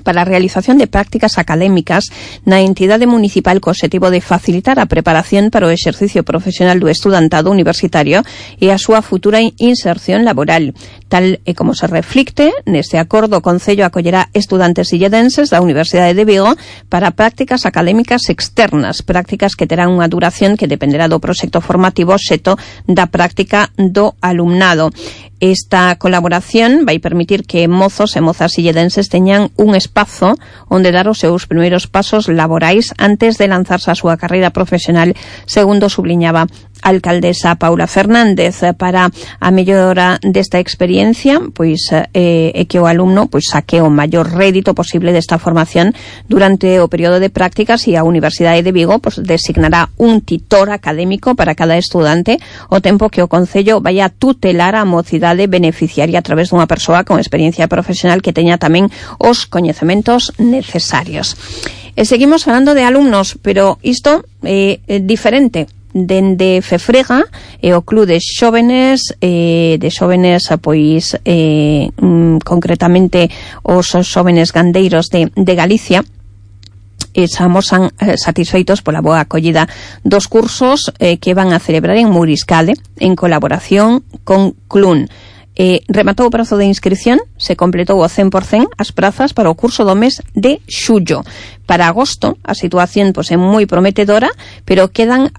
para a realización de prácticas académicas na entidade municipal co obxectivo de facilitar a preparación para o exercicio profesional do estudantado universitario e a súa futura inserción laboral. Tal e como se reflicte neste acordo, o Concello acollerá estudantes silledenses da Universidade de Vigo para prácticas académicas externas, prácticas que terán unha duración que dependerá do proxecto formativo xeto da práctica do alumnado. Esta colaboración vai permitir que mozos e mozas silledenses teñan un espazo onde dar os seus primeiros pasos laborais antes de lanzarse a súa carreira profesional, segundo subliñaba a alcaldesa Paula Fernández. Para a mellora desta experiencia, pois é que o alumno pois saque o maior rédito posible desta formación durante o período de prácticas, e a Universidade de Vigo pois designará un titor académico para cada estudante, o tempo que o Concello vai a tutelar a mocidade beneficiaria a través dunha persoa con experiencia profesional que teña tamén os coñecementos necesarios. E seguimos falando de alumnos, pero isto é diferente. Dende Fefrega e o Club de Xóvenes pois concretamente os xóvenes gandeiros de Galicia amosan satisfeitos pola boa acollida dos cursos que van a celebrar en Mouriscade en colaboración con CLUN. Rematou o prazo de inscripción, se completou o 100% as prazas para o curso do mes de xullo. Para agosto a situación pois é moi prometedora, pero quedan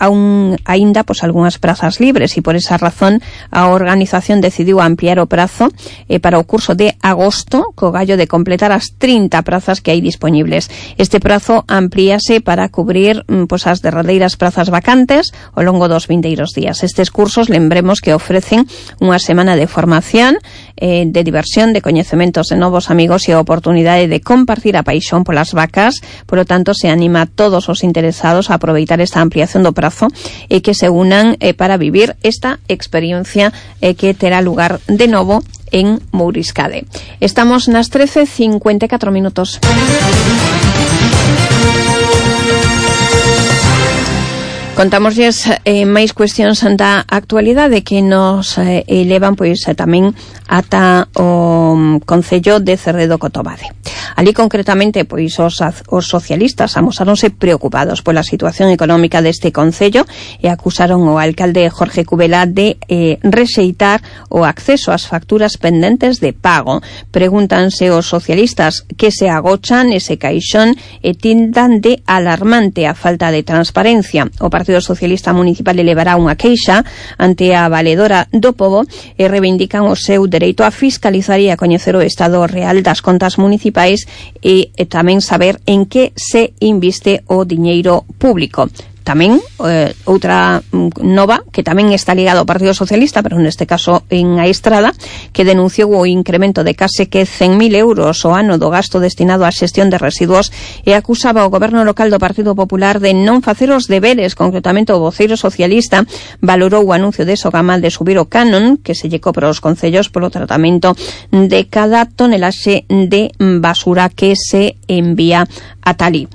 aínda pois algunhas prazas libres, e por esa razón a organización decidiu ampliar o prazo para o curso de agosto, co gallo de completar as 30 prazas que hai disponibles. Este prazo amplíase para cubrir pois as derradeiras prazas vacantes ao longo dos vindeiros días. Estes cursos, lembremos que ofrecen unha semana de formación, de diversión, de coñecementos de novos amigos e a oportunidade de compartir a paixón polas vacas. Por lo tanto, se anima a todos os interesados a aproveitar esta ampliación do prazo e que se unan para vivir esta experiencia que terá lugar de novo en Mouriscade. Estamos nas 13:54 minutos. Contámoslles máis cuestións da actualidade que nos elevan pois tamén ata o Concello de Cerredo Cotobade. Ali concretamente pois os socialistas amosáronse preocupados pola situación económica deste concello e acusaron ao alcalde Jorge Cubela de rexeitar o acceso ás facturas pendentes de pago. Pregúntanse os socialistas que se agochan ese caixón e tindan de alarmante a falta de transparencia. O Partido Socialista Municipal elevará unha queixa ante a valedora do Pobo e reivindican o seu dereito a fiscalizar e a coñecer o estado real das contas municipais e tamén saber en que se inviste o diñeiro público. Tamén outra nova que tamén está ligada ao Partido Socialista, pero neste caso en A Estrada, que denunciou o incremento de case que 100.000 euros ao ano do gasto destinado á xestión de residuos e acusaba ao goberno local do Partido Popular de non facer os deberes. Concretamente, o voceiro socialista valorou o anuncio de Sogama de subir o canon que se lle cobra aos concellos polo tratamento de cada tonelaxe de basura que se envía a Talí.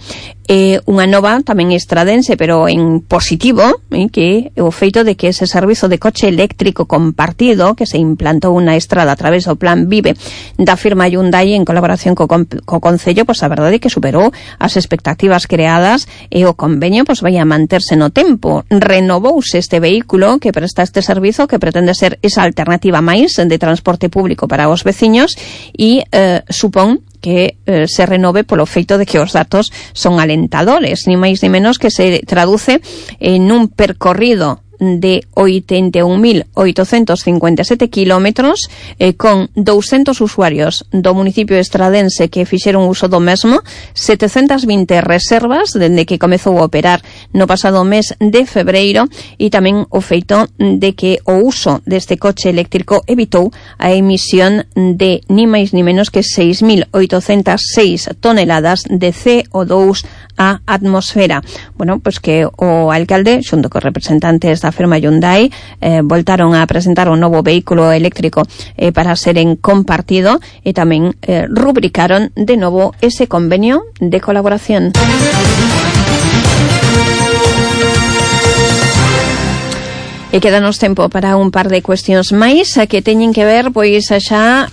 Unha nova tamén estradense, pero en positivo, que o feito de que ese servizo de coche eléctrico compartido que se implantou na Estrada a través do plan Vive da firma Hyundai en colaboración co Concello, pois a verdade é que superou as expectativas creadas e o convenio pois vai a manterse no tempo. Renovouse este vehículo que presta este servizo, que pretende ser esa alternativa máis de transporte público para os veciños e supón que se renove polo feito de que os datos son alentadores, ni máis ni menos que se traduce en un percorrido de 81.857 kilómetros con 200 usuarios do municipio estradense que fixeron uso do mesmo, 720 reservas dende que comezou a operar no pasado mes de febreiro, e tamén o feito de que o uso deste coche eléctrico evitou a emisión de ni máis ni menos que 6.806 toneladas de CO2 á atmosfera. Bueno, pois que o alcalde, xunto cos representantes da firma Hyundai, voltaron a presentar un novo vehículo eléctrico para ser en compartido e tamén rubricaron de novo ese convenio de colaboración. E quedanos tempo para un par de cuestións máis que teñen que ver pois xa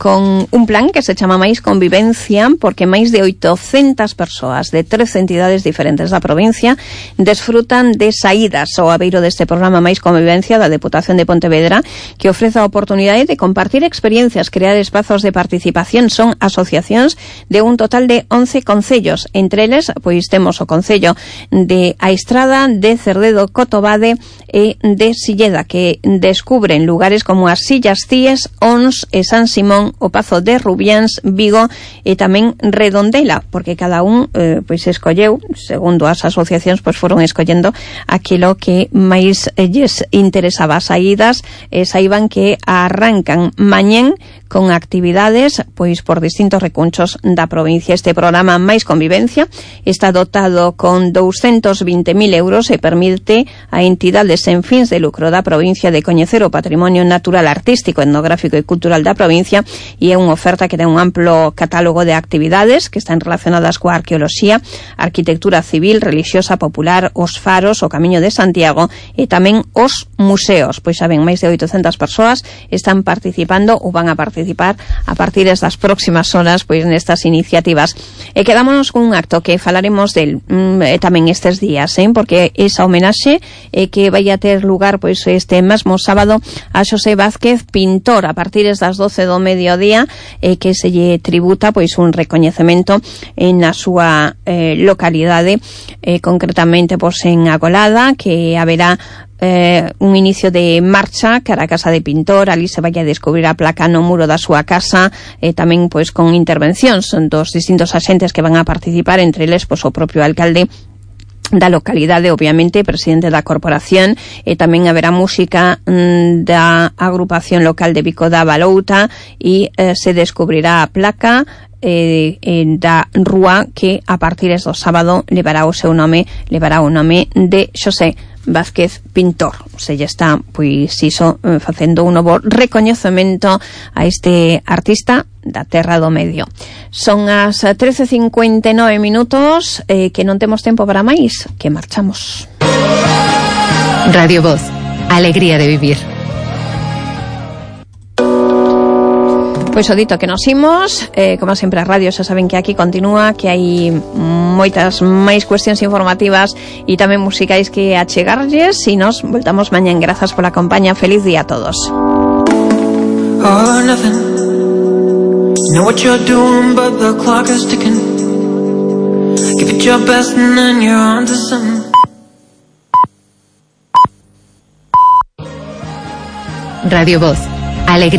con un plan que se chama Mais Convivencia, porque máis de 800 persoas de 13 entidades diferentes da provincia desfrutan de saídas ao abeiro deste programa Mais Convivencia da Deputación de Pontevedra, que ofrece a oportunidade de compartir experiencias, crear espazos de participación. Son asociacións de un total de 11 concellos. Entre eles, pois temos o concello de A Estrada, de Cerdedo, Cotobade e de Silleda, que descubren lugares como as Sillas Cíes, Ons e San Simón, o Pazo de Rubiáns, Vigo e tamén Redondela, porque cada un pois escolleu, segundo as asociacións, pois foron escollendo aquilo que máis lles interesaba. As saídas saiban que arrancan mañén con actividades pois por distintos recunchos da provincia. Este programa Mais Convivencia está dotado con 220.000 euros e permite a entidades sen fins de lucro da provincia de coñecer o patrimonio natural, artístico, etnográfico e cultural da provincia, e é unha oferta que ten un amplo catálogo de actividades que están relacionadas coa arqueoloxía, arquitectura civil, religiosa, popular, os faros, o Camiño de Santiago e tamén os museos. Pois saben, máis de 800 persoas están participando ou van a participar a partir das próximas horas pois nestas iniciativas. E quedámonos con un acto que falaremos del tamén estes días, porque esa homenaxe que vai a ter lugar pois este mesmo sábado a Xosé Vázquez, pintor, a partir das 12 do mediodía, que se lle tributa pois un recoñecemento na súa localidade, concretamente pois en Agolada, que haberá un inicio de marcha cara a casa de pintor. Ali se vai a descubrir a placa no muro da súa casa, tamén pois con intervencións dos distintos axentes que van a participar, entre eles pois o propio alcalde da localidade, obviamente, presidente da corporación, e tamén haberá música da agrupación local de Vico da Balouta, e se descubrirá a placa da rúa que a partir do sábado levará o seu nome, levará o nome de Xosé Vázquez, pintor. Se lle está, pois iso, facendo un novo recoñecemento a este artista da Terra do Medio. Son as 13:59 minutos, que non temos tempo para máis, que marchamos. Radio Voz, alegría de vivir. Pois o dito que nos imos, como sempre a radio xa saben que aquí continúa, que hai moitas máis cuestións informativas e tamén musicais que achegarlles, e nos voltamos mañán. Grazas pola compañía, feliz día a todos. All or nothing. You know what you're doing, but the clock is ticking. Give it your best and then you're on to something. Radio Voz, alegría.